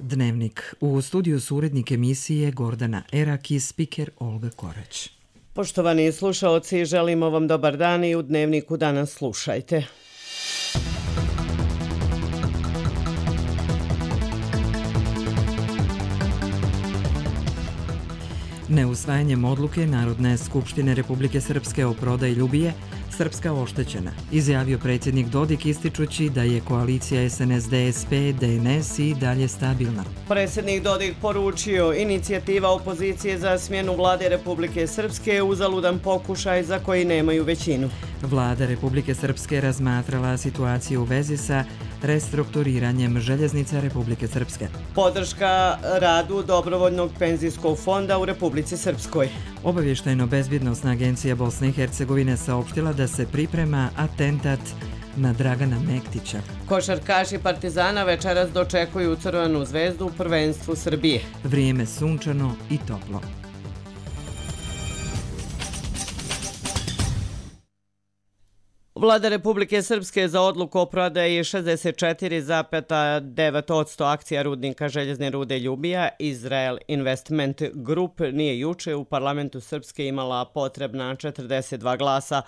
Dnevnik. U studiju su urednik emisije Gordana Erak i spiker Olga Korać. Poštovani slušaoci, želimo vam dobar dan i u Dnevniku danas slušajte. Neusvajanjem odluke Narodne skupštine Republike Srpske o prodaji Ljubije, Srpska oštećena, izjavio predsjednik Dodik ističući da je koalicija SNSD-SP-DNS i dalje stabilna. Predsjednik Dodik poručio inicijativa opozicije za smjenu vlade Republike Srpske uzaludan pokušaj za koji nemaju većinu. Vlada Republike Srpske razmatrala situaciju u vezi sa restrukturiranjem željeznica Republike Srpske. Podrška radu Dobrovoljnog penzijskog fonda u Republici Srpskoj. Obavještajno-bezbjednosna agencija Bosne i Hercegovine saopštila da se priprema atentat na Dragana Mektića. Košarkaši Partizana večeras dočekuju Crvenu zvezdu u prvenstvu Srbije. Vrijeme sunčano i toplo. Vlada Republike Srpske za odluku o prodaji 64,9% akcija rudnika željezne rude Ljubija Israel Investment Group nije juče u parlamentu Srpske imala potrebna 42 glasa.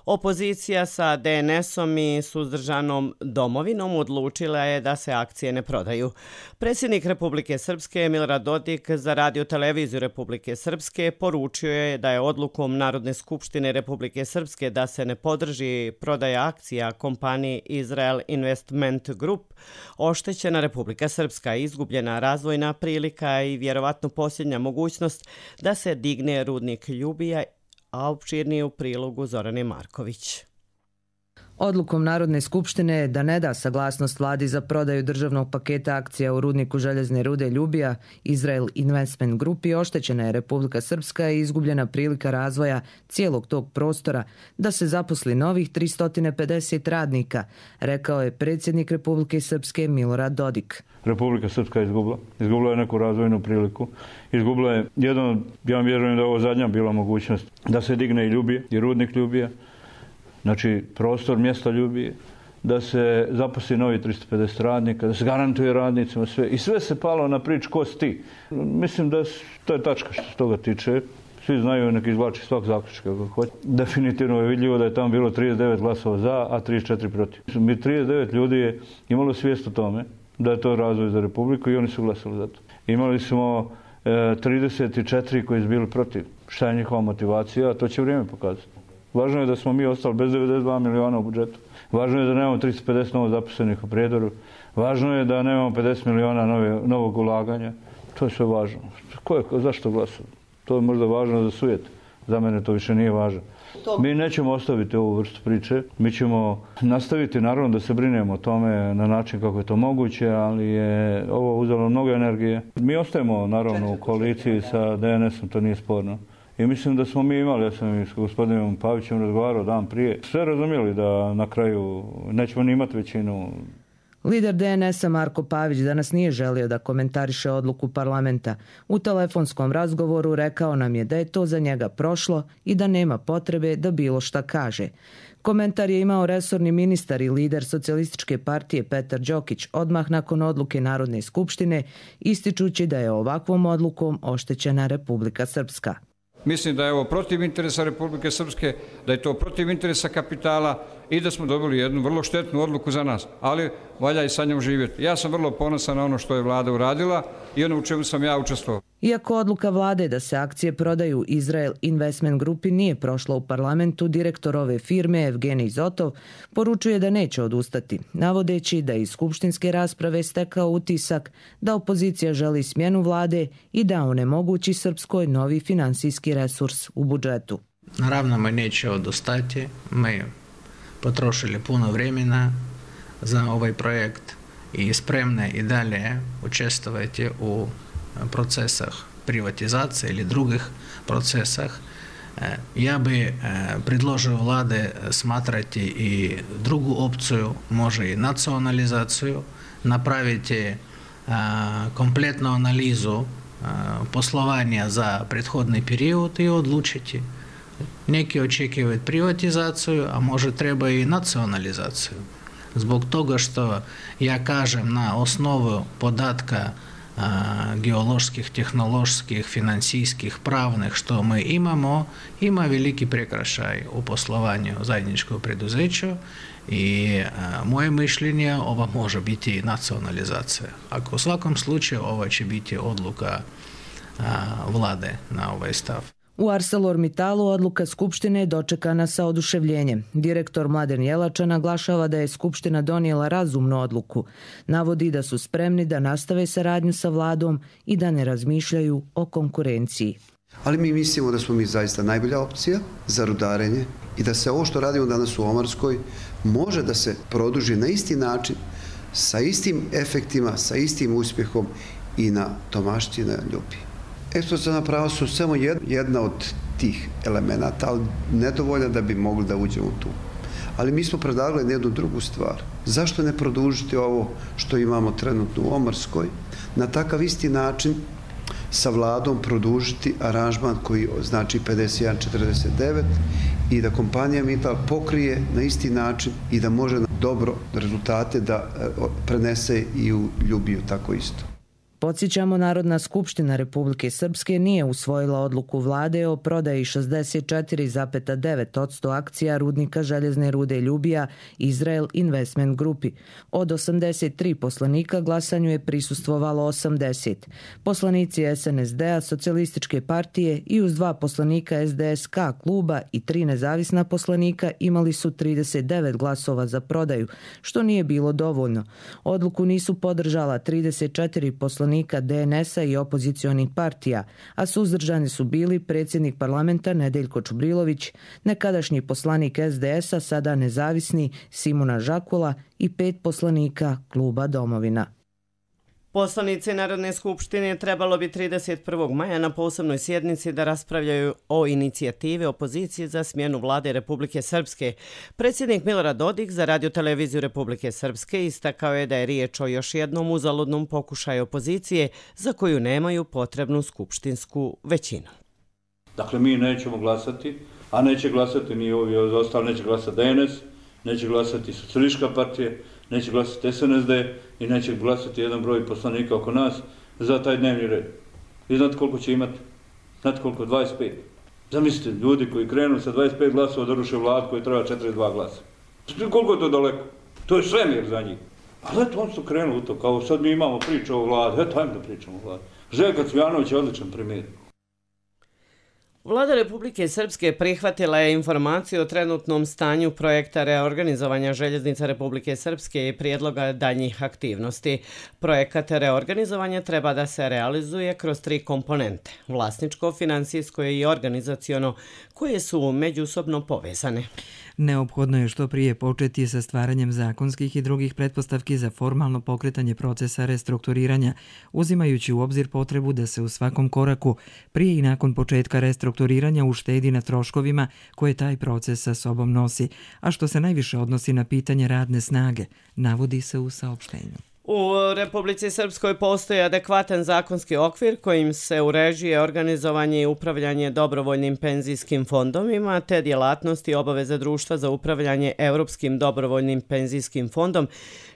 Opozicija sa DNS-om i suzdržanom Domovinom odlučila je da se akcije ne prodaju. Predsjednik Republike Srpske Milorad Dodik za Radio televiziju Republike Srpske poručio je da je odlukom Narodne skupštine Republike Srpske da se ne podrži prodaja akcija kompaniji Israel Investment Group oštećena Republika Srpska, izgubljena razvojna prilika i vjerovatno posljednja mogućnost da se digne rudnik Ljubija, a opširnije u prilogu Zorane Marković. Odlukom Narodne skupštine da ne da saglasnost vladi za prodaju državnog paketa akcija u rudniku željezne rude Ljubija, Israel Investment Grupi oštećena je Republika Srpska i izgubljena prilika razvoja cijelog tog prostora da se zaposli novih 350 radnika, rekao je predsjednik Republike Srpske Milorad Dodik. Republika Srpska je izgubila je neku razvojnu priliku, izgubila je ja vjerujem da je ovo zadnja bila mogućnost da se digne i Ljubije, i rudnik Ljubije, znači prostor mjesta Ljubije, da se zaposli novi 350 radnika, da se garantuje radnicima sve. I sve se palo na prič ko si ti. Mislim da to je tačka što se toga tiče. Svi znaju, nek izvlači svak zaključak kako hoće. Definitivno je vidljivo da je tamo bilo 39 glasova za, a 34 protiv. Mi 39 ljudi je imalo svijest o tome da je to razvoj za Republiku i oni su glasali za to. Imali smo 34 koji su bili protiv. Šta je njihova motivacija, to će vrijeme pokazati. Važno je da smo mi ostali bez 92 miliona u budžetu. Važno je da nemamo 350 novo zaposlenih u Prijedoru. Važno je da nemamo 50 miliona novog ulaganja. To je sve važno. Zašto glasati? To je možda važno za sujet. Za mene to više nije važno. Mi nećemo ostaviti ovu vrstu priče. Mi ćemo nastaviti naravno da se brinemo o tome na način kako je to moguće, ali je ovo uzelo mnogo energije. Mi ostajemo naravno u koaliciji sa DNS-om, to nije sporno. I mislim da smo mi imali, ja sam i s gospodinom Pavićem razgovarao dan prije, sve razumjeli da na kraju nećemo ni imati većinu. Lider DNS-a Marko Pavić danas nije želio da komentariše odluku parlamenta. U telefonskom razgovoru rekao nam je da je to za njega prošlo i da nema potrebe da bilo šta kaže. Komentar je imao resorni ministar i lider Socijalističke partije Petar Đokić odmah nakon odluke Narodne skupštine, ističući da je ovakvom odlukom oštećena Republika Srpska. Mislim da je ovo protiv interesa Republike Srpske, da je to protiv interesa kapitala i da smo dobili jednu vrlo štetnu odluku za nas, ali valja i sa njom živjeti. Ja sam vrlo ponosan na ono što je vlada uradila i ono u čemu sam ja učestvovao. Iako odluka vlade da se akcije prodaju Israel Investment Grupi nije prošla u parlamentu, direktor ove firme Evgenij Zotov poručuje da neće odustati, navodeći da iz skupštinske rasprave stekao utisak da opozicija želi smjenu vlade i da onemogući Srpskoj novi finansijski resurs u budžetu. Naravno, mi neće odustati. Mi potrošili puno vremena za ovaj projekt i spremni i dalje učestvovati u procesah privatizacije ili drugih procesah. Ja bi predložio vlade smatrati i drugu opciju, može i nacionalizaciju, napraviti kompletnu analizu poslovanja za prethodni period i odlučiti. Neki očekuju privatizaciju, a može treba i nacionalizaciju. Zbog toga što ja kažem na osnovu podatka geoloških, tehnoloških, financijskih, pravnih, što mi imamo, ima veliki prekršaj u poslovanju zajedničkog preduzeću i moje mišljenje, ova može biti nacionalizacija. Ako u svakom slučaju ova će biti odluka vlade na ovaj stav. U ArcelorMittalu odluka Skupštine je dočekana sa oduševljenjem. Direktor Mladen Jelača naglašava da je Skupština donijela razumnu odluku. Navodi da su spremni da nastave saradnju sa vladom i da ne razmišljaju o konkurenciji. Ali mi mislimo da smo mi zaista najbolja opcija za rudarenje i da se ovo što radimo danas u Omarskoj može da se produži na isti način, sa istim efektima, sa istim uspjehom i na Tomašti i na Ljubi. Eksploataciona prava su samo jedna od tih elemenata, ali nedovoljna da bi mogli da uđemo tu. Ali mi smo predlagali jednu drugu stvar. Zašto ne produžiti ovo što imamo trenutno u Omarskoj, na takav isti način sa vladom produžiti aranžman koji znači 51-49 i da kompanija Mittal pokrije na isti način i da može dobro rezultate da prenese i u Ljubiju tako isto. Podsjećamo, Narodna skupština Republike Srpske nije usvojila odluku vlade o prodaji 64,9% akcija rudnika željezne rude Ljubija Izrael Investment Grupi. Od 83 poslanika glasanju je prisustvovalo 80. Poslanici SNSD-a, Socijalističke partije i uz 2 poslanika SDSK kluba i 3 nezavisna poslanika imali su 39 glasova za prodaju, što nije bilo dovoljno. Odluku nisu podržala 34 poslanika DNS-a i opozicionih partija, a suzdržani su bili predsjednik parlamenta Nedeljko Čubrilović, nekadašnji poslanik SDS-a, sada nezavisni Simona Žakula i 5 poslanika kluba Domovina. Poslanici Narodne skupštine trebalo bi 31. maja na posebnoj sjednici da raspravljaju o inicijativi opozicije za smjenu vlade Republike Srpske. Predsjednik Milorad Dodik za Radio-televiziju Republike Srpske istakao je da je riječ o još jednom uzaludnom pokušaju opozicije za koju nemaju potrebnu skupštinsku većinu. Dakle, mi nećemo glasati, a neće glasati ni ovi ostali, neće glasati DNS, neće glasati Socijalistička partija, neće glasati SNSD i neće glasati jedan broj poslanika oko nas za taj dnevni red. I znate koliko će imati? Znate koliko? 25. Zamislite, ljudi koji krenu sa 25 glasova da ruše vladu koji treba 42 glasa. Koliko je to daleko? To je svemir za njih. Ali eto, oni su krenuli u to, kao sad mi imamo priču o vladu, eto, ajmo da pričamo o vladu. Željko Cvijanović je odličan primjer. Vlada Republike Srpske prihvatila je informaciju o trenutnom stanju projekta reorganizovanja željeznica Republike Srpske i prijedloga daljnjih aktivnosti. Projekat reorganizovanja treba da se realizuje kroz 3 komponente: vlasničko, financijsko i organizaciono, koje su međusobno povezane. Neophodno je što prije početi sa stvaranjem zakonskih i drugih pretpostavki za formalno pokretanje procesa restrukturiranja, uzimajući u obzir potrebu da se u svakom koraku prije i nakon početka restrukturiranja uštedi na troškovima koje taj proces sa sobom nosi, a što se najviše odnosi na pitanje radne snage, navodi se u saopštenju. U Republici Srpskoj postoji adekvatan zakonski okvir kojim se uređuje organizovanje i upravljanje dobrovoljnim penzijskim fondovima te djelatnosti i obaveze društva za upravljanje Europskim dobrovoljnim penzijskim fondom,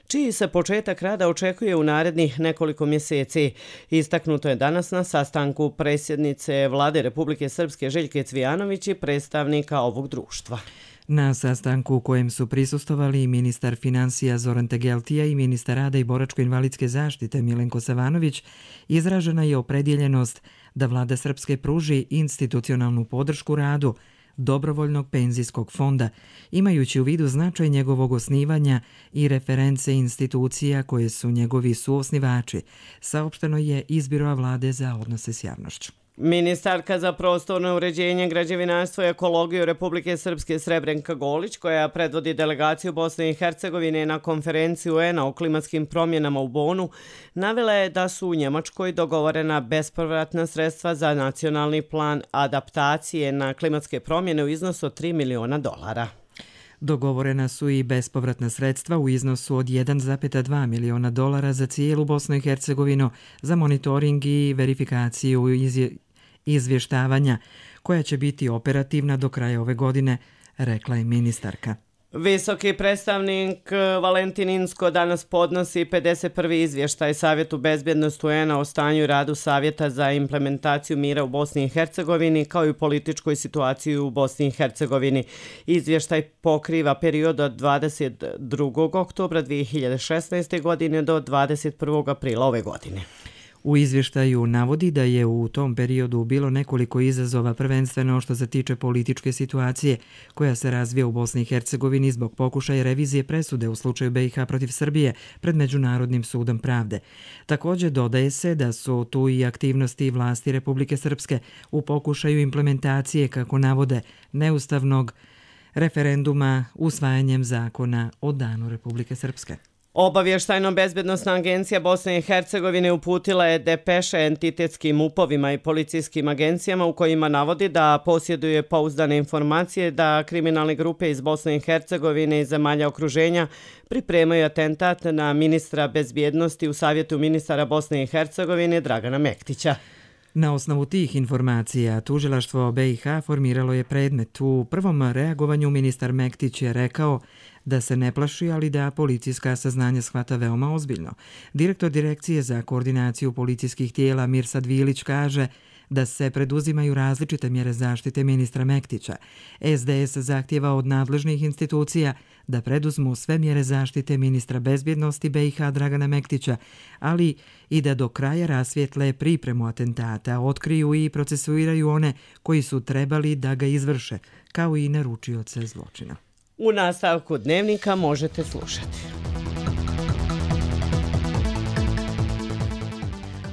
čiji se početak rada očekuje u narednih nekoliko mjeseci. Istaknuto je danas na sastanku predsjednice Vlade Republike Srpske Željke Cvijanović i predstavnika ovog društva. Na sastanku u kojem su prisustvovali ministar financija Zoran Tegeltija i ministar rada i boračko-invalidske zaštite Milenko Savanović, izražena je opredjeljenost da Vlada Srpske pruži institucionalnu podršku radu dobrovoljnog penzijskog fonda, imajući u vidu značaj njegovog osnivanja i reference institucija koje su njegovi suosnivači, saopšteno je iz Biroa vlade za odnose s javnošću. Ministarka za prostorno uređenje, građevinarstvo i ekologiju Republike Srpske Srebrenka Golić, koja predvodi delegaciju Bosne i Hercegovine na konferenciju UN-a o klimatskim promjenama u Bonu, navela je da su u Njemačkoj dogovorena bespovratna sredstva za nacionalni plan adaptacije na klimatske promjene u iznosu od $3 miliona. Dogovorena su i bespovratna sredstva u iznosu od $1,2 miliona za cijelu Bosnu i Hercegovinu za monitoring i verifikaciju izvještavanja, koja će biti operativna do kraja ove godine, rekla je ministarka. Visoki predstavnik Valentin Inzko danas podnosi 51. izvještaj Savjetu bezbjednosti UN-a o stanju i radu Savjeta za implementaciju mira u Bosni i Hercegovini kao i političkoj situaciji u Bosni i Hercegovini. Izvještaj pokriva period od 22. oktobra 2016. godine do 21. aprila ove godine. U izvještaju navodi da je u tom periodu bilo nekoliko izazova, prvenstveno što se tiče političke situacije koja se razvija u Bosni i Hercegovini zbog pokušaja revizije presude u slučaju BiH protiv Srbije pred Međunarodnim sudom pravde. Također dodaje se da su tu i aktivnosti vlasti Republike Srpske u pokušaju implementacije, kako navode, neustavnog referenduma usvajanjem zakona o Danu Republike Srpske. Obavještajno-bezbjednosna agencija Bosne i Hercegovine uputila je depeše entitetskim upovima i policijskim agencijama u kojima navodi da posjeduje pouzdane informacije da kriminalne grupe iz Bosne i Hercegovine i zemalja okruženja pripremaju atentat na ministra bezbjednosti u Savjetu ministara Bosne i Hercegovine Dragana Mektića. Na osnovu tih informacija tužilaštvo BiH formiralo je predmet. U prvom reagovanju ministar Mektić je rekao da se ne plaši, ali da policijska saznanja shvata veoma ozbiljno. Direktor Direkcije za koordinaciju policijskih tijela Mirsad Vilić kaže da se preduzimaju različite mjere zaštite ministra Mektića. SDS zahtjeva od nadležnih institucija da preduzmu sve mjere zaštite ministra bezbjednosti BiH Dragana Mektića, ali i da do kraja rasvijetle pripremu atentata, otkriju i procesuiraju one koji su trebali da ga izvrše, kao i naručioce zločina. U nastavku dnevnika možete slušati.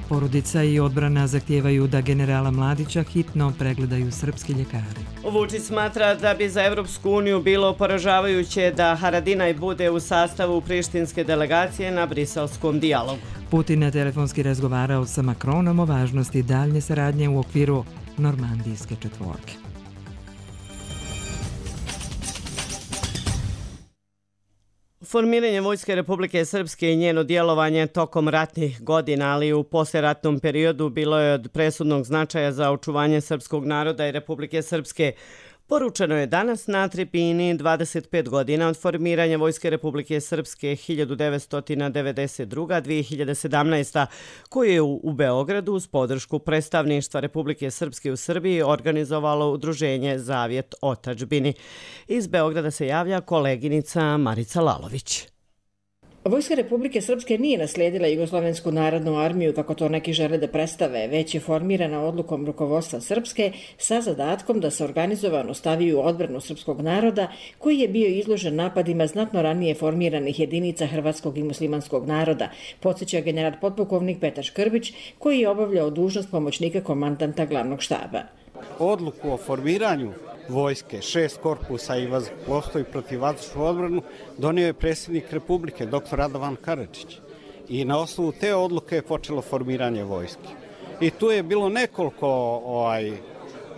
Porodica i odbrana zahtijevaju da generala Mladića hitno pregledaju srpski ljekari. Vučić smatra da bi za Evropsku uniju bilo poražavajuće da Haradinaj bude u sastavu prištinske delegacije na briselskom dijalogu. Putin je telefonski razgovarao sa Macronom o važnosti daljnje saradnje u okviru Normandijske četvorke. Formiranje Vojske Republike Srpske i njeno djelovanje tokom ratnih godina, ali i u posleratnom periodu bilo je od presudnog značaja za očuvanje srpskog naroda i Republike Srpske. Poručeno je danas na tribini 25 godina od formiranja Vojske Republike Srpske 1992-2017, koju je u Beogradu uz podršku predstavništva Republike Srpske u Srbiji organizovalo udruženje Zavjet otadžbini. Iz Beograda se javlja koleginica Marica Lalović. Vojska Republike Srpske nije naslijedila Jugoslovensku narodnu armiju kako to neki žele da predstave, već je formirana odlukom rukovodstva Srpske sa zadatkom da se organizovano stavi u odbranu srpskog naroda koji je bio izložen napadima znatno ranije formiranih jedinica hrvatskog i muslimanskog naroda, podsjeća general potpukovnik Petar Škrbić koji je obavljao dužnost pomoćnika komandanta glavnog štaba. Odluku o formiranju vojske, 6 korpusa i vazduhoplovstvo i protivvazdušnu odbranu donio je predsjednik Republike, dr. Radovan Karadžić. I na osnovu te odluke je počelo formiranje vojske. I tu je bilo nekoliko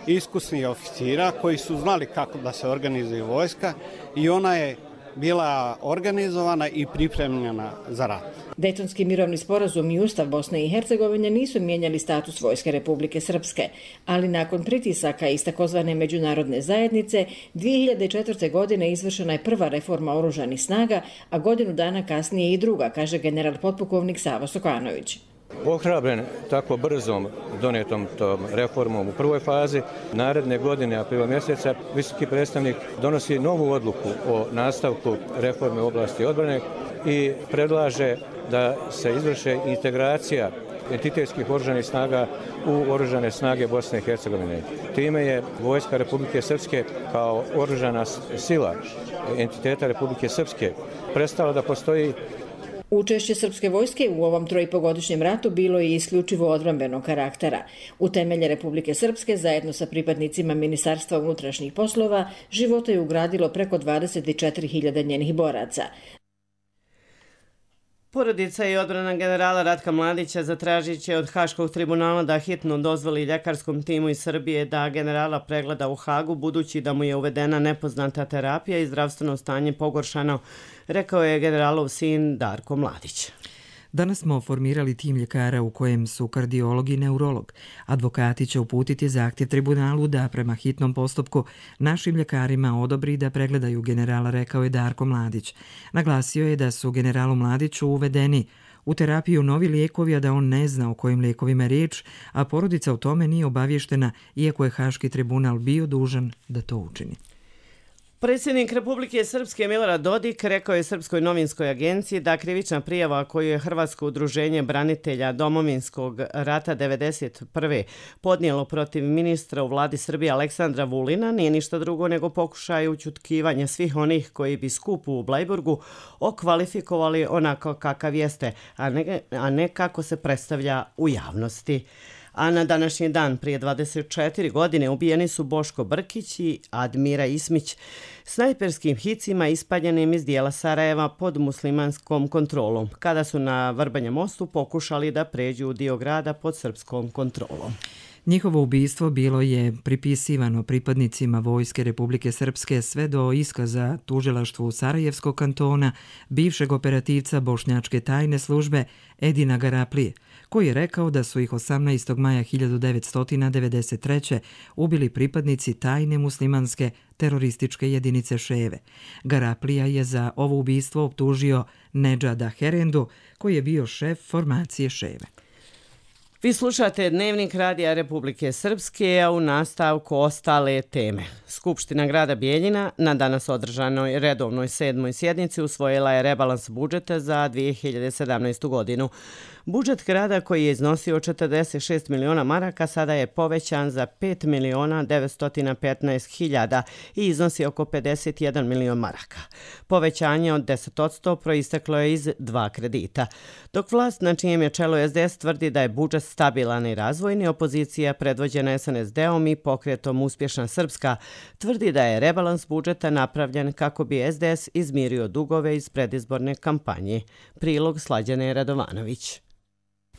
iskusnih oficira koji su znali kako da se organizuje vojska i ona je bila organizovana i pripremljena za rat. Dejtonski mirovni sporazum i Ustav Bosne i Hercegovine nisu mijenjali status Vojske Republike Srpske, ali nakon pritisaka iz takozvane međunarodne zajednice 2004. godine izvršena je prva reforma oružanih snaga, a godinu dana kasnije i druga, kaže general potpukovnik Savo Sokanović. Ohrabren tako brzom donetom tom reformom u prvoj fazi, naredne godine, aprila mjeseca, visoki predstavnik donosi novu odluku o nastavku reforme u oblasti odbrane i predlaže da se izvrše integracija entitetskih oružanih snaga u oružane snage Bosne i Hercegovine. Time je Vojska Republike Srpske kao oružana sila entiteta Republike Srpske prestala da postoji. Učešće srpske vojske u ovom 3,5-godišnjem ratu bilo je isključivo odbrambenog karaktera. U temelje Republike Srpske, zajedno sa pripadnicima Ministarstva unutrašnjih poslova, života je ugradilo preko 24.000 njenih boraca. Porodica i odbrana generala Ratka Mladića zatražit će od Haškog tribunala da hitno dozvoli ljekarskom timu iz Srbije da generala pregleda u Hagu, budući da mu je uvedena nepoznata terapija i zdravstveno stanje pogoršano, rekao je generalov sin Darko Mladić. Danas smo formirali tim ljekara u kojem su kardiolog i neurolog. Advokati će uputiti zahtjev tribunalu da prema hitnom postupku našim ljekarima odobri da pregledaju generala, rekao je Darko Mladić. Naglasio je da su generalu Mladiću uvedeni u terapiju novi lijekovi, a da on ne zna o kojim lijekovima je riječ, a porodica o tome nije obavještena, iako je Haški tribunal bio dužan da to učini. Predsjednik Republike Srpske Milorad Dodik rekao je Srpskoj novinskoj agenciji da krivična prijava koju je Hrvatsko udruženje branitelja Domovinskog rata 1991. podnijelo protiv ministra u vladi Srbije Aleksandra Vulina nije ništa drugo nego pokušaj ućutkivanja svih onih koji bi skup u Blajburgu okvalifikovali onako kakav jeste, a ne kako se predstavlja u javnosti. A na današnji dan prije 24 godine ubijeni su Boško Brkić i Admira Ismić snajperskim hicima ispaljenim iz dijela Sarajeva pod muslimanskom kontrolom, kada su na Vrbanja mostu pokušali da pređu u dio grada pod srpskom kontrolom. Njihovo ubistvo bilo je pripisivano pripadnicima Vojske Republike Srpske sve do iskaza tužilaštvu Sarajevskog kantona bivšeg operativca bošnjačke tajne službe Edina Garaplije, koji je rekao da su ih 18. maja 1993. ubili pripadnici tajne muslimanske terorističke jedinice Ševe. Garaplija je za ovo ubistvo optužio Nedžada Herendu, koji je bio šef formacije Ševe. Vi slušate Dnevnik Radija Republike Srpske, a u nastavku ostale teme. Skupština grada Bijeljina na danas održanoj redovnoj 7. sjednici usvojila je rebalans budžeta za 2017. godinu. Budžet grada koji je iznosio 46 miliona maraka sada je povećan za 5 miliona 915 hiljada i iznosi oko 51 milion maraka. Povećanje od 10% proisteklo je iz 2 kredita. Dok vlast na čijem je čelu SDS tvrdi da je budžet stabilan i razvojni, opozicija predvođena SNSD-om i pokretom Uspješna Srpska tvrdi da je rebalans budžeta napravljen kako bi SDS izmirio dugove iz predizborne kampanje. Prilog Slađane Radovanović.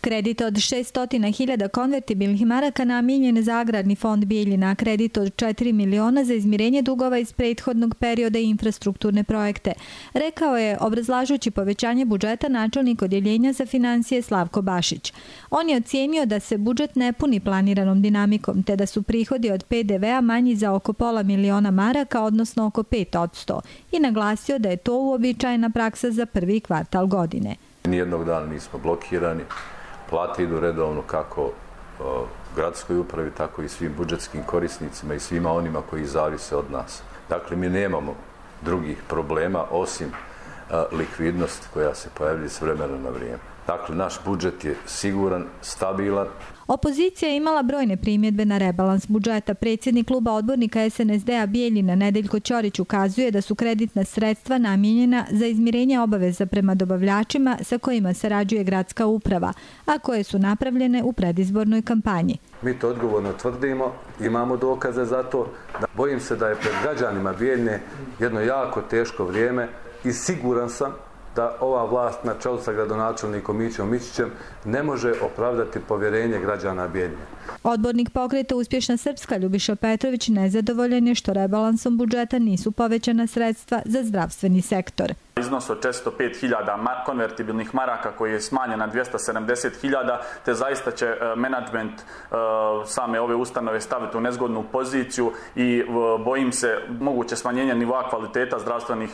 Kredit od 600.000 konvertibilnih maraka namijenjen za agrarni fond Bijeljina, kredit od 4 miliona za izmirenje dugova iz prethodnog perioda i infrastrukturne projekte, rekao je obrazlažući povećanje budžeta načelnik odjeljenja za financije Slavko Bašić. On je ocijenio da se budžet ne puni planiranom dinamikom, te da su prihodi od PDV-a manji za oko pola miliona maraka, odnosno oko 5%, i naglasio da je to uobičajena praksa za prvi kvartal godine. Nijednog dana nismo blokirani. Plate idu redovno kako gradskoj upravi, tako i svim budžetskim korisnicima i svima onima koji zavise od nas. Dakle, mi nemamo drugih problema osim likvidnosti koja se pojavlja s vremena na vrijeme. Dakle, naš budžet je siguran, stabilan. Opozicija je imala brojne primjedbe na rebalans budžeta. Predsjednik kluba odbornika SNSD-a Bijeljina Nedeljko Ćorić ukazuje da su kreditna sredstva namijenjena za izmirenje obaveza prema dobavljačima sa kojima sarađuje gradska uprava, a koje su napravljene u predizbornoj kampanji. Mi to odgovorno tvrdimo, imamo dokaze za to. Bojim se da je pred građanima Bijeljine jedno jako teško vrijeme i siguran sam da ova vlast na čelu sa gradonačelnikom Mićom Mićićem ne može opravdati povjerenje građana Bijeljine. Odbornik pokreta Uspješna Srpska Ljubiša Petrović nezadovoljan je što rebalansom budžeta nisu povećana sredstva za zdravstveni sektor. Iznos od 405.000 konvertibilnih maraka koji je smanjen na 270.000, te zaista će menadžment same ove ustanove staviti u nezgodnu poziciju i bojim se moguće smanjenja nivoa kvaliteta zdravstvenih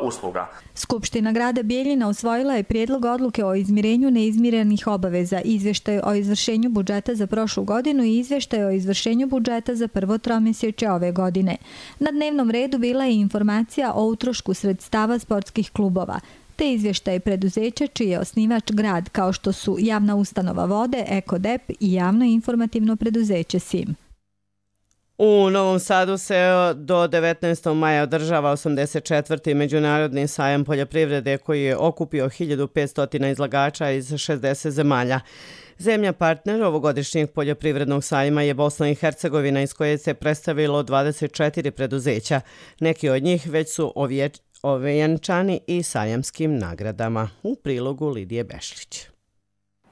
usluga. Skupština grada Bijeljina usvojila je prijedlog odluke o izmirenju neizmirenih obaveza, izvještaj o izvršenju budžeta za prošlu godinu i izvještaj o izvršenju budžeta za prvo tromjesečje ove godine. Na dnevnom redu bila je informacija o utrošku sredstava sportskih klubova, te izvještaj preduzeća čiji je osnivač grad, kao što su javna ustanova Vode, Ekodep i javno informativno preduzeće SIM. U Novom Sadu se do 19. maja održava 84. Međunarodni sajam poljoprivrede koji je okupio 1500 izlagača iz 60 zemalja. Zemlja partner ovogodišnjeg poljoprivrednog sajma je Bosna i Hercegovina, iz koje se predstavilo 24 preduzeća. Neki od njih već su ovjenčani i sajamskim nagradama. U prilogu Lidije Bešlić.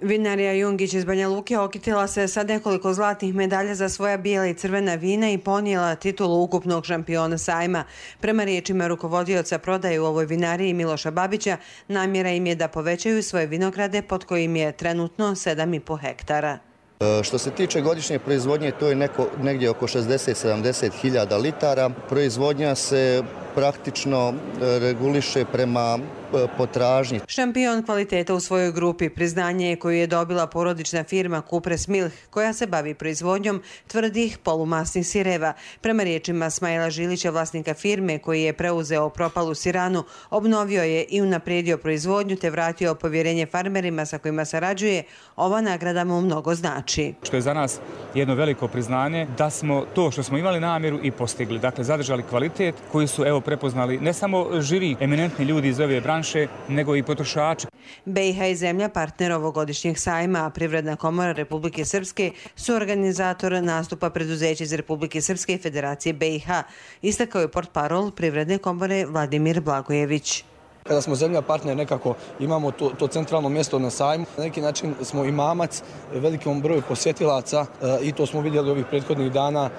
Vinarija Jungić iz Banja Luke okitila se sa nekoliko zlatnih medalja za svoja bijela i crvena vina i ponijela titulu ukupnog šampiona sajma. Prema riječima rukovodioca prodaje u ovoj vinariji Miloša Babića, namjera im je da povećaju svoje vinograde pod kojim je trenutno 7,5 hektara. Što se tiče godišnje proizvodnje, to je negdje oko 60-70 hiljada litara. Proizvodnja se praktično reguliše prema potražnji. Šampion kvaliteta u svojoj grupi priznanje je koju je dobila porodična firma Kupres Milh, koja se bavi proizvodnjom tvrdih polumasnih sireva. Prema riječima Smajla Žilića, vlasnika firme koji je preuzeo propalu siranu, obnovio je i unaprijedio proizvodnju te vratio povjerenje farmerima sa kojima sarađuje, ova nagrada mu mnogo znači. Što je za nas jedno veliko priznanje da smo to što smo imali namjeru i postigli. Dakle, zadržali kvalitet koji su prepoznali ne samo žiri, eminentni ljudi iz ove branše, nego i potrošači. BiH je zemlja partner ovogodišnjeg sajma, a Privredna komora Republike Srpske su organizator nastupa preduzeća iz Republike Srpske i Federacije BiH. Istakao je portparol Privredne komore Vladimir Blagojević. Kada smo zemlja partner, nekako imamo to centralno mjesto na sajmu. Na neki način smo i mamac velikom broju posjetilaca i to smo vidjeli ovih prethodnih dana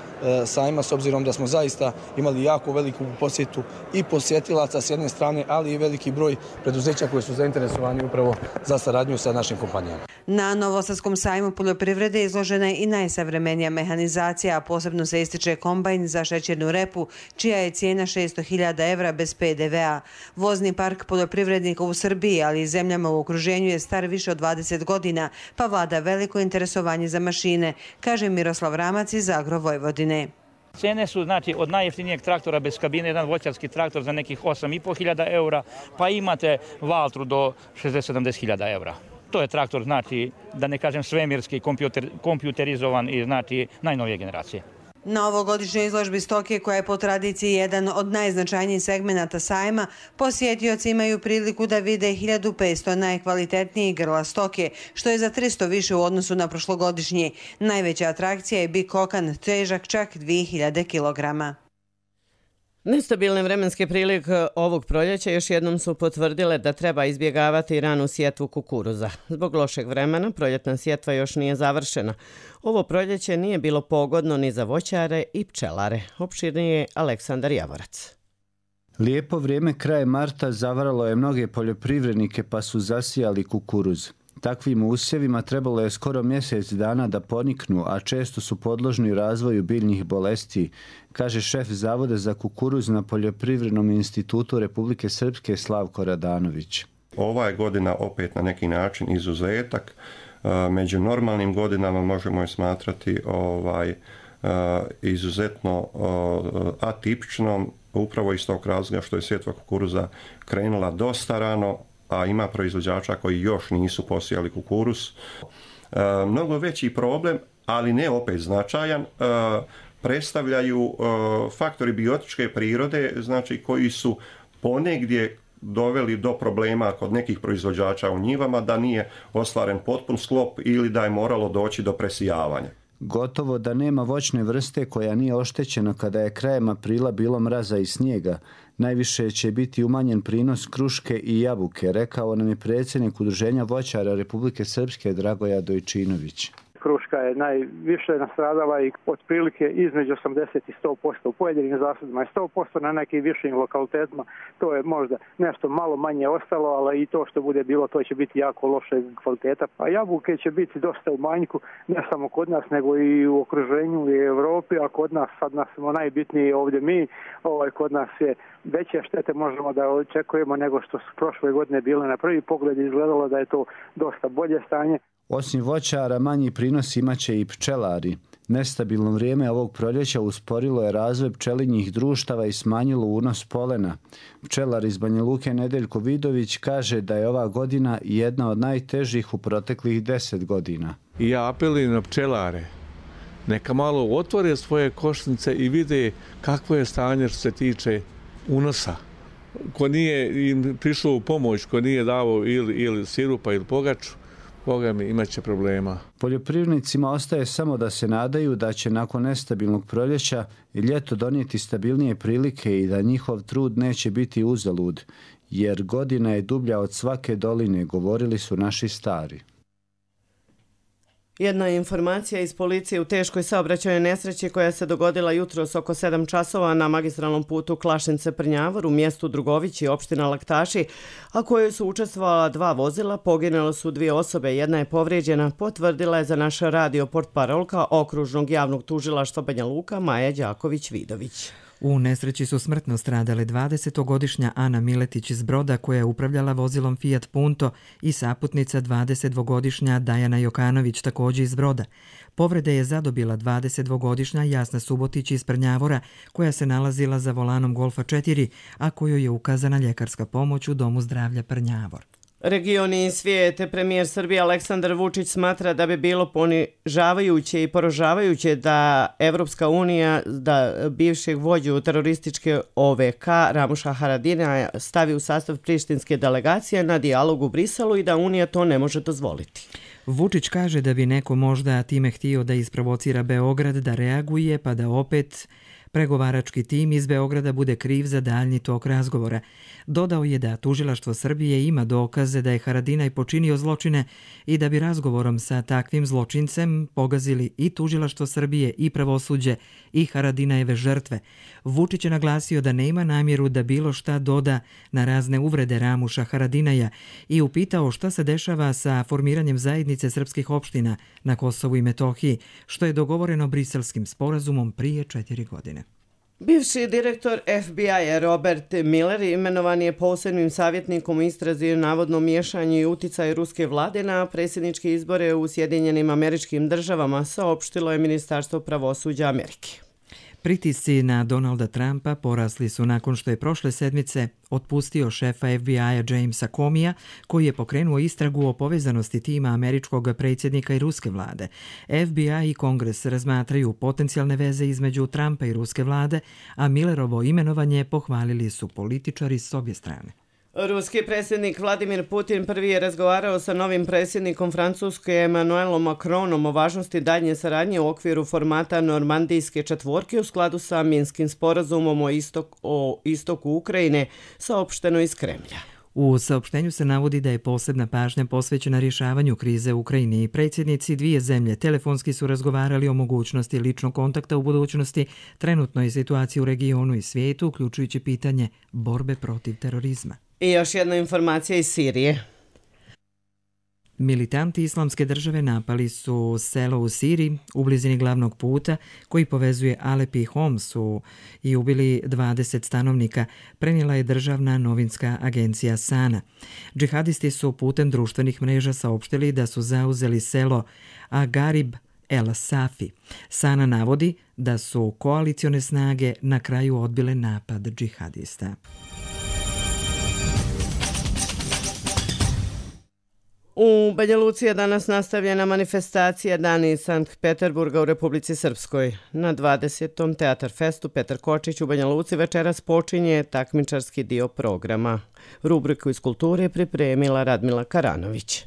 sajma, s obzirom da smo zaista imali jako veliku posjetu i posjetilaca s jedne strane, ali i veliki broj preduzeća koji su zainteresovani upravo za saradnju sa našim kompanijama. Na Novosadskom sajmu poljoprivrede izložena je i najsavremenija mehanizacija, a posebno se ističe kombajn za šećernu repu, čija je cijena 600.000 evra bez PDV-a. Vozni park poljoprivrednika u Srbiji, ali i zemljama u okruženju je star više od 20 godina, pa vlada veliko interesovanje za mašine, kaže Miroslav Ramac iz Agro Vojvodine. Cene su od najjeftinijeg traktora bez kabine, jedan voćarski traktor za nekih 8.500 eura, pa imate Valtru do 60-70.000 eura. To je traktor, da ne kažem svemirski, kompjuterizovan i najnovije generacije. Na ovogodišnjoj izložbi stoke, koja je po tradiciji jedan od najznačajnijih segmenata sajma, posjetioci imaju priliku da vide 1500 najkvalitetnijih grla stoke, što je za 300 više u odnosu na prošlogodišnji. Najveća atrakcija je bik kokan, težak čak 2000 kilograma. Nestabilne vremenske prilike ovog proljeća još jednom su potvrdile da treba izbjegavati ranu sjetvu kukuruza. Zbog lošeg vremena proljetna sjetva još nije završena. Ovo proljeće nije bilo pogodno ni za voćare i pčelare. Opširnije je Aleksandar Javorac. Lijepo vrijeme krajem marta zavaralo je mnoge poljoprivrednike pa su zasijali kukuruz. Takvim usjevima trebalo je skoro mjesec dana da poniknu, a često su podložni razvoju biljnih bolesti, kaže šef Zavoda za kukuruz na Poljoprivrednom institutu Republike Srpske Slavko Radanović. Ova je godina opet na neki način izuzetak. Među normalnim godinama možemo je smatrati izuzetno atipičnom, upravo iz tog razloga što je sjetva kukuruza krenula dosta rano, a ima proizvođača koji još nisu posijali kukuruz. Mnogo veći problem, ali ne opet značajan, predstavljaju faktori biotičke prirode, koji su ponegdje doveli do problema kod nekih proizvođača u njivama, da nije ostvaren potpun sklop ili da je moralo doći do presijavanja. Gotovo da nema voćne vrste koja nije oštećena kada je krajem aprila bilo mraza i snijega. Najviše će biti umanjen prinos kruške i jabuke, rekao nam je predsjednik Udruženja voćara Republike Srpske Dragoja Dojčinović. Kruška je najviše nastradala i otprilike između 80 i 100%. U pojedinim zasadima je 100%, na nekim višim lokalitetima to je možda nešto malo manje ostalo, ali i to što bude bilo, to će biti jako loše kvaliteta. A jabuke će biti dosta u manjku, ne samo kod nas, nego i u okruženju i Evropi, a kod nas, sad nas smo najbitniji ovdje mi, kod nas je veće štete možemo da očekujemo nego što su prošle godine bile. Na prvi pogled izgledalo da je to dosta bolje stanje. Osim voćara, manji prinos imaće i pčelari. Nestabilno vrijeme ovog proljeća usporilo je razvoj pčelinjih društava i smanjilo unos polena. Pčelar iz Banja Luke Nedeljko Vidović kaže da je ova godina jedna od najtežih u proteklih 10 godina. I ja apelujem na pčelare, neka malo otvore svoje košnice i vide kakvo je stanje što se tiče unosa. Ko nije im prišao u pomoć, ko nije dao ili sirupa ili pogaču, Boga mi, imat će problema. Poljoprivrednicima ostaje samo da se nadaju da će nakon nestabilnog proljeća i ljeto donijeti stabilnije prilike i da njihov trud neće biti uzalud, jer godina je dublja od svake doline, govorili su naši stari. Jedna informacija iz policije u teškoj saobraćajnoj nesreći koja se dogodila jutros oko 7 časova na magistralnom putu Klašince-Prnjavor u mjestu Drugovići, opština Laktaši, a kojoj su učestvovala 2 vozila, poginule su 2 osobe, jedna je povrijeđena, potvrdila je za naš radio portparolka okružnog javnog tužilaštva Banja Luka Maja Đaković-Vidović. U nesreći su smrtno stradale 20-godišnja Ana Miletić iz Broda koja je upravljala vozilom Fiat Punto i saputnica 22-godišnja Dajana Jokanović također iz Broda. Povrede je zadobila 22-godišnja Jasna Subotić iz Prnjavora koja se nalazila za volanom Golfa 4, a kojoj je ukazana ljekarska pomoć u Domu zdravlja Prnjavor. Regioni i svijete, premijer Srbije Aleksandar Vučić smatra da bi bilo ponižavajuće i poražavajuće da Evropska unija da bivšeg vođu terorističke OVK Ramuša Haradinaja stavi u sastav prištinske delegacije na dijalog u Briselu i da Unija to ne može dozvoliti. Vučić kaže da bi neko možda time htio da isprovocira Beograd da reaguje pa da opet pregovarački tim iz Beograda bude kriv za daljnji tok razgovora. Dodao je da tužilaštvo Srbije ima dokaze da je Haradinaj počinio zločine i da bi razgovorom sa takvim zločincem pogazili i tužilaštvo Srbije i pravosuđe i Haradinajeve žrtve. Vučić je naglasio da nema namjeru da bilo šta doda na razne uvrede Ramuša Haradinaja i upitao šta se dešava sa formiranjem zajednice srpskih opština na Kosovu i Metohiji, što je dogovoreno Briselskim sporazumom prije 4 godine. Bivši direktor FBI-a Robert Mueller imenovan je posebnim savjetnikom u istrazi o navodnom miješanju i uticaju ruske vlade na predsjedničke izbore u Sjedinjenim Američkim Državama, saopštilo je Ministarstvo pravosuđa Amerike. Pritisci na Donalda Trumpa porasli su nakon što je prošle sedmice otpustio šefa FBI-a Jamesa Comeyja, koji je pokrenuo istragu o povezanosti tima američkog predsjednika i ruske vlade. FBI i Kongres razmatraju potencijalne veze između Trumpa i ruske vlade, a Millerovo imenovanje pohvalili su političari s obje strane. Ruski predsjednik Vladimir Putin prvi je razgovarao sa novim predsjednikom Francuske Emmanuelom Macronom o važnosti daljnje saradnje u okviru formata Normandijske četvorke u skladu sa Minskim sporazumom o istoku Ukrajine, saopšteno iz Kremlja. U saopštenju se navodi da je posebna pažnja posvećena rješavanju krize u Ukrajini i predsjednici dvije zemlje telefonski su razgovarali o mogućnosti ličnog kontakta u budućnosti, trenutnoj situaciji u regionu i svijetu, uključujući pitanje borbe protiv terorizma. I još jedna informacija iz Sirije. Militanti Islamske države napali su selo u Siriji u blizini glavnog puta koji povezuje Alep i Homs i ubili 20 stanovnika, prenijela je državna novinska agencija Sana. Džihadisti su putem društvenih mreža saopštili da su zauzeli selo Agarib El Safi. Sana navodi da su koalicione snage na kraju odbile napad džihadista. U Banja Luci je danas nastavljena manifestacija Dani Sankt Peterburga u Republici Srpskoj. Na 20. Teatar Festu Petar Kočić u Banja Luci večeras počinje takmičarski dio programa. Rubriku iz kulture pripremila Radmila Karanović.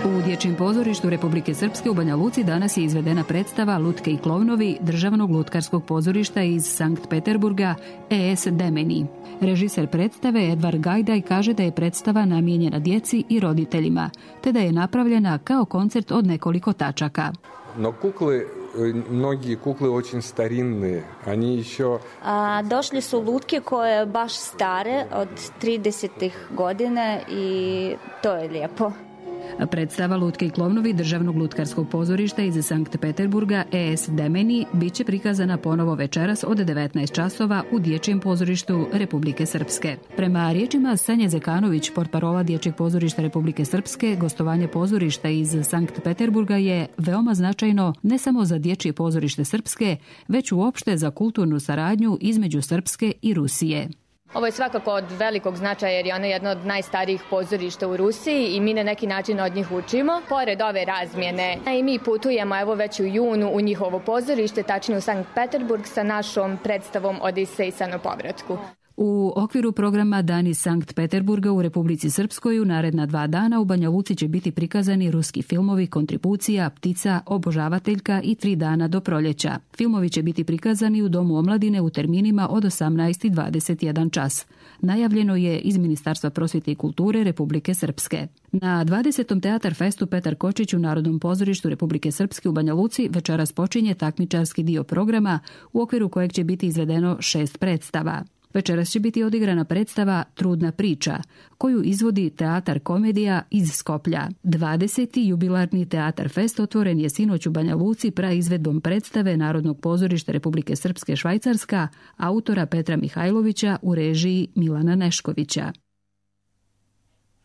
U Dječjem pozorištu Republike Srpske u Banja Luci danas je izvedena predstava Lutke i klovnovi Državnog lutkarskog pozorišta iz Sankt Peterburga E.S. Demeni. Režiser predstave Edvard Gajdaj kaže da je predstava namijenjena djeci i roditeljima, te da je napravljena kao koncert od nekoliko tačaka. No mnogi kukle очень старинные, они еще... Došli su lutke koje baš stare od 30-ih godine i to je lijepo. Predstava Lutke i klovnovi Državnog lutkarskog pozorišta iz Sankt Peterburga E.S. Demeni bit će prikazana ponovo večeras od 19 časova u Dječjem pozorištu Republike Srpske. Prema riječima Sanje Zekanović, portparola Dječjeg pozorišta Republike Srpske, gostovanje pozorišta iz Sankt Peterburga je veoma značajno ne samo za Dječje pozorište Srpske, već uopšte za kulturnu saradnju između Srpske i Rusije. Ovo je svakako od velikog značaja jer je ono jedno od najstarijih pozorišta u Rusiji i mi na neki način od njih učimo. Pored ove razmjene i mi putujemo evo već u junu u njihovo pozorište, tačnije u Sankt Peterburg sa našom predstavom Odisejsa na povratku. U okviru programa Dani Sankt Peterburga u Republici Srpskoj u naredna 2 dana u Banja Luci će biti prikazani ruski filmovi Kontribucija, Ptica, Obožavateljka i 3 dana do proljeća. Filmovi će biti prikazani u Domu omladine u terminima od 18 i 21 čas. najavljeno je iz Ministarstva prosvjete i kulture Republike Srpske. Na 20. Teatar festu Petar Kočić u Narodnom pozorištu Republike Srpske u Banja Luci večeras počinje takmičarski dio programa u okviru kojeg će biti izvedeno 6 predstava. Večeras će biti odigrana predstava Trudna priča, koju izvodi Teatar komedija iz Skoplja. 20. jubilarni Teatar fest otvoren je sinoć u Banja Luci praizvedbom predstave Narodnog pozorišta Republike Srpske Švajcarska, autora Petra Mihajlovića u režiji Milana Neškovića.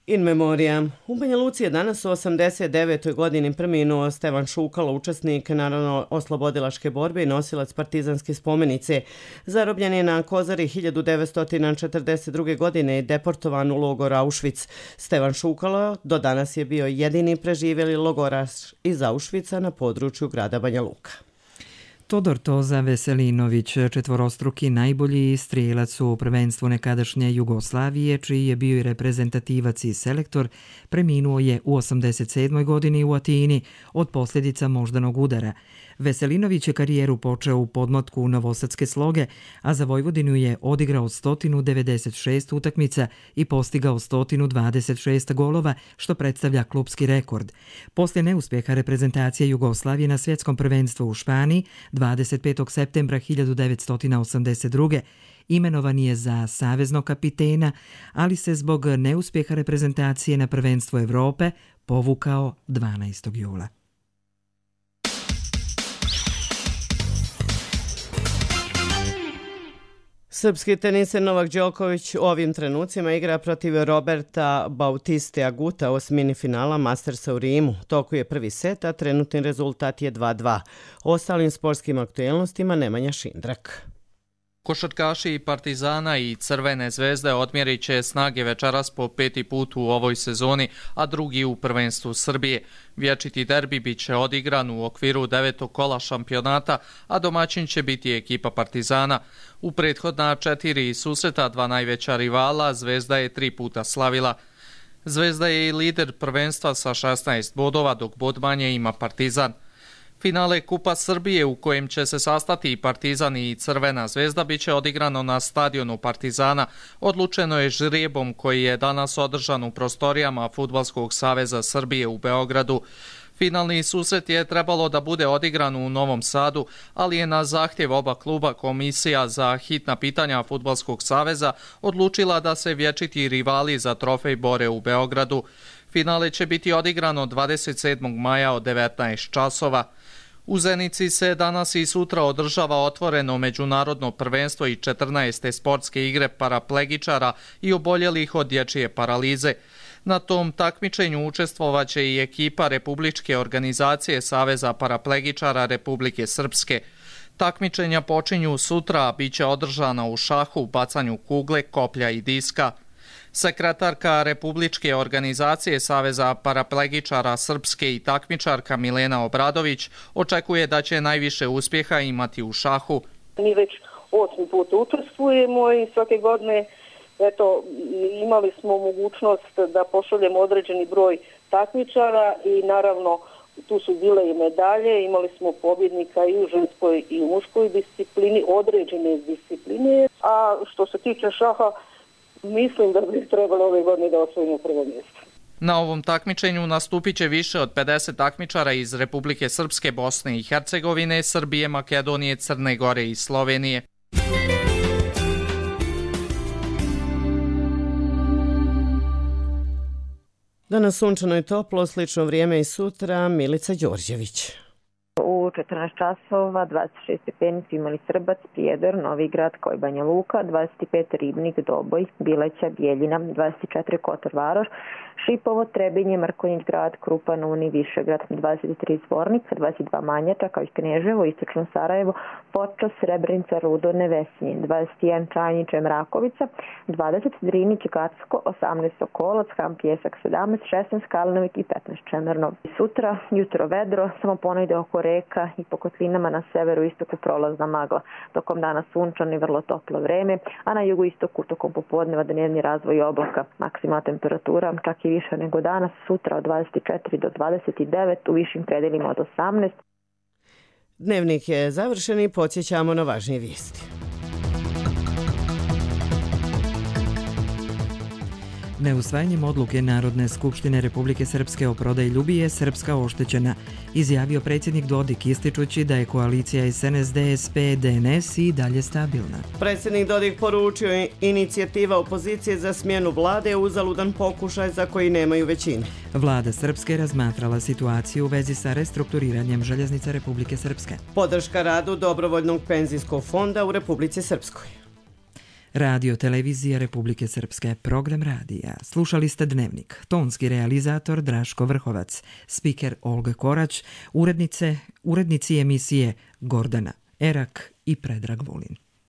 In memoriam. U Banja Luci je danas u 89. godini preminuo Stevan Šukalo, učesnik narodno-oslobodilačke borbe i nosilac partizanske spomenice. Zarobljen je na Kozari 1942. godine i deportovan u logor Auschwitz. Stevan Šukalo do danas je bio jedini preživjeli logoraš iz Auschwitza na području grada Banja Luka. Todor Toza Veselinović, četvorostruki najbolji strijelac u prvenstvu nekadašnje Jugoslavije, čiji je bio i reprezentativac i selektor, preminuo je u 87. godini u Atini od posljedica moždanog udara. Veselinović je karijeru počeo u podmlatku novosadske Sloge, a za Vojvodinu je odigrao 196 utakmica i postigao 126 golova, što predstavlja klupski rekord. Poslije neuspjeha reprezentacije Jugoslavije na svjetskom prvenstvu u Španiji 25. septembra 1982. imenovan je za saveznog kapitena, ali se zbog neuspjeha reprezentacije na prvenstvu Evrope povukao 12. jula. Srpski teniser Novak Đoković u ovim trenucima igra protiv Roberta Bautiste Aguta u osmini finala Mastersa u Rimu. Toku je prvi set, a trenutni rezultat je 2:2. O ostalim sportskim aktuelnostima Nemanja Šindrak. Košarkaši Partizana i Crvene zvezde odmjerit će snage večeras po 5. put u ovoj sezoni, a drugi u prvenstvu Srbije. Vječiti derbi bit će odigran u okviru 9. kola šampionata, a domaćin će biti ekipa Partizana. U prethodna 4 susreta dva najveća rivala Zvezda je 3 puta slavila. Zvezda je i lider prvenstva sa 16 bodova, dok bod manje ima Partizan. Finale Kupa Srbije u kojem će se sastati i Partizan i Crvena zvezda bit će odigrano na stadionu Partizana. Odlučeno je žrijebom koji je danas održan u prostorijama Fudbalskog saveza Srbije u Beogradu. Finalni susret je trebalo da bude odigran u Novom Sadu, ali je na zahtjev oba kluba Komisija za hitna pitanja Fudbalskog saveza odlučila da se vječiti rivali za trofej bore u Beogradu. Finale će biti odigrano 27. maja od 19 časova. U Zenici se danas i sutra održava otvoreno međunarodno prvenstvo i 14. sportske igre paraplegičara i oboljelih od dječje paralize. Na tom takmičenju učestvovaće i ekipa Republičke organizacije Saveza paraplegičara Republike Srpske. Takmičenja počinju sutra, bit će održana u šahu, bacanju kugle, koplja i diska. Sekretarka Republičke organizacije Saveza paraplegičara Srpske i takmičarka Milena Obradović očekuje da će najviše uspjeha imati u šahu. Mi već 8. put učestvujemo i svake godine imali smo mogućnost da pošaljemo određeni broj takmičara i naravno tu su bile i medalje, imali smo pobjednika i u ženskoj i u muškoj disciplini, određene discipline, a što se tiče šaha, mislim da bi trebalo ove godine da osvojimo prvo mjesto. Na ovom takmičenju nastupit će više od 50 takmičara iz Republike Srpske, Bosne i Hercegovine, Srbije, Makedonije, Crne Gore i Slovenije. Danas sunčano i toplo, slično vrijeme i sutra. Milica Đorđević. U 14 časova 26 stepenici imali Srbac, Prijedor, Novi Grad, kao i Banja Luka, 25 Ribnik, Doboj, Bileća, Bijeljina, 24 Kotor Varoš, Šipovo, Trebinje, Mrkonjić Grad, Krupan, Uni, Višegrad, 23 Zvornica, 22 Manjača, kao i Kneževo, Istočno Sarajevo, Počas, Srebrenica, Rudo, Nevesinje, 21 Čanjiče, Mrakovica, 20 Drinić, Gacko, 18 Sokolac, Ham Pjesak, 17, 16 Kalinović i 15 Čemerno. Sutra, jutro vedro, samo ponajde oko reka i po kotlinama na severu istoku prolazna magla. Tokom dana sunčano i vrlo toplo vreme, a na jugu istoku tokom popodneva dnevni razvoj oblaka. Maksimalna temperatura čak i više nego danas, sutra od 24 do 29, u višim predelima od 18. Dnevnik je završen i podsjećamo na važnije vijesti. Neusvajanjem odluke Narodne skupštine Republike Srpske o prodaji Ljubije je Srpska oštećena, izjavio predsjednik Dodik ističući da je koalicija SNSD-SP-DNS i dalje stabilna. Predsjednik Dodik poručio inicijativa opozicije za smjenu vlade je uzaludan pokušaj za koji nemaju većine. Vlada Srpske razmatrala situaciju u vezi sa restrukturiranjem Željeznica Republike Srpske. Podrška radu Dobrovoljnog penzijskog fonda u Republici Srpskoj. Radio Televizija Republike Srpske, program radija. Slušali ste Dnevnik, tonski realizator Draško Vrhovac, spiker Olga Korać, urednici emisije Gordana Erak i Predrag Vulin.